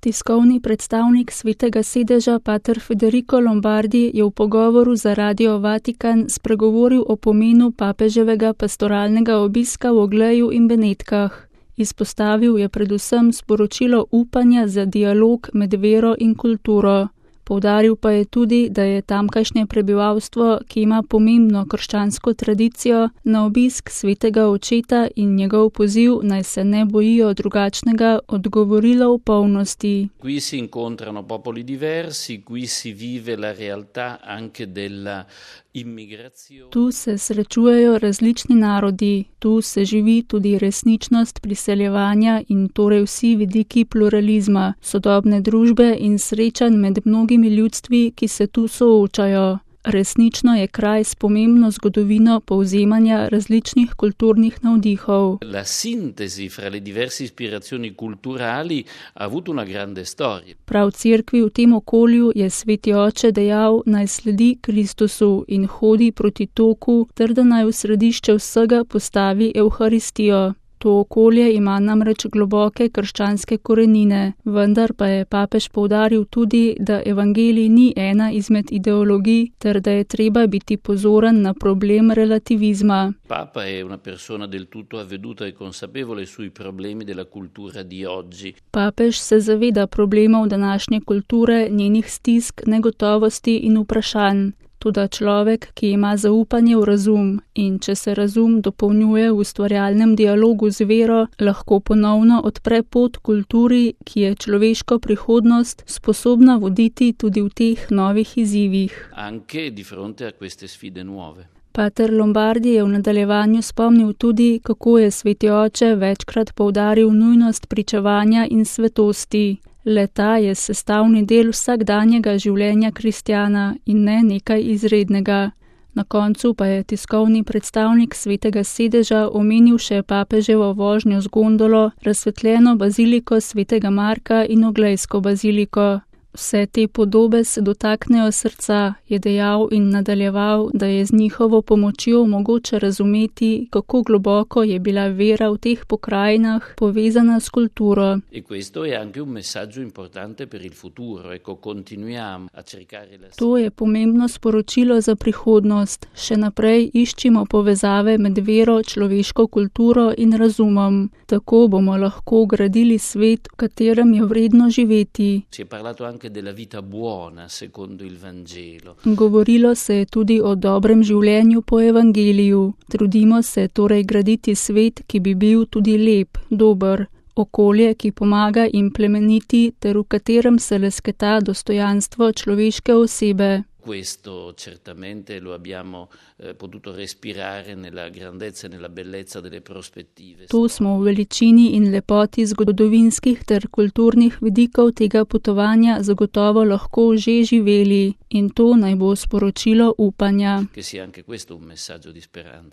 Tiskovni predstavnik Svetega sedeža pater Federico Lombardi je v pogovoru za Radio Vatikan spregovoril o pomenu papeževega pastoralnega obiska v Ogleju in Benetkah. Izpostavil je predvsem sporočilo upanja za dialog med vero in kulturo. Poudaril pa je tudi, da je tamkajšnje prebivalstvo, ki ima pomembno krščansko tradicijo, na obisk svetega očeta in njegov poziv, naj se ne bojijo drugačnega, odgovorilo v polnosti. Qui si incontrano popoli diversi, qui si vive la realtà anche della immigrazione. Tu se srečujejo različni narodi, tu se živi tudi resničnost priseljevanja in torej vsi vidiki pluralizma, sodobne družbe in srečanj med mnogimi ljudstvi, ki se tu soočajo. Resnično je kraj s pomembno zgodovino povzemanja različnih kulturnih navdihov. La sintesi fra le diverse ispirazioni culturali ha avuto una grande storia. Prav cerkvi v tem okolju je sveti oče dejal, naj sledi Kristusu in hodi proti toku, ter da naj v središče vsega postavi Evharistijo. To okolje ima namreč globoke krščanske korenine, vendar pa je papež poudaril tudi, da evangelij ni ena izmed ideologij, ter da je treba biti pozoren na problem relativizma. Papa è una persona del tutto avveduta e consapevole sui problemi della cultura di oggi. Papež se zaveda problemov današnje kulture, njenih stisk, negotovosti in vprašanj. Toda človek, ki ima zaupanje v razum in če se razum dopolnjuje v ustvarjalnem dialogu z vero, lahko ponovno odpre pot kulturi, ki je človeško prihodnost sposobna voditi tudi v teh novih izzivih. Anche di fronte a queste sfide nuove. Pater Lombardi je v nadaljevanju spomnil tudi, kako je sveti oče večkrat poudaril nujnost pričevanja in svetosti. Le-ta je sestavni del vsakdanjega življenja kristjana in ne nekaj izrednega. Na koncu pa je tiskovni predstavnik Svetega sedeža omenil še papeževo vožnjo z gondolo, razsvetljeno baziliko Svetega Marka in Oglejsko baziliko. Vse te podobe se dotaknejo srca, je dejal in nadaljeval, da je z njihovo pomočjo mogoče razumeti, kako globoko je bila vera v teh pokrajinah povezana s kulturo. To je pomembno sporočilo za prihodnost. Še naprej iščimo povezave med vero, človeško kulturo in razumom. Tako bomo lahko gradili svet, v katerem je vredno živeti. Della vita buona secondo il Vangelo. Govorilo se je tudi o dobrem življenju po evangeliju. Trudimo se torej graditi svet, ki bi bil tudi lep, dober, okolje, ki pomaga in plemeniti, ter v katerem se lesketa dostojanstvo človeške osebe. Questo certamente lo abbiamo potuto respirare nella grandezza e nella bellezza delle prospettive. To smo v veličini in lepoti zgodovinskih ter kulturnih vidikov tega potovanja zagotovo lahko že živeli in to naj bo sporočilo upanja. Che sia anche questo un messaggio di speranza.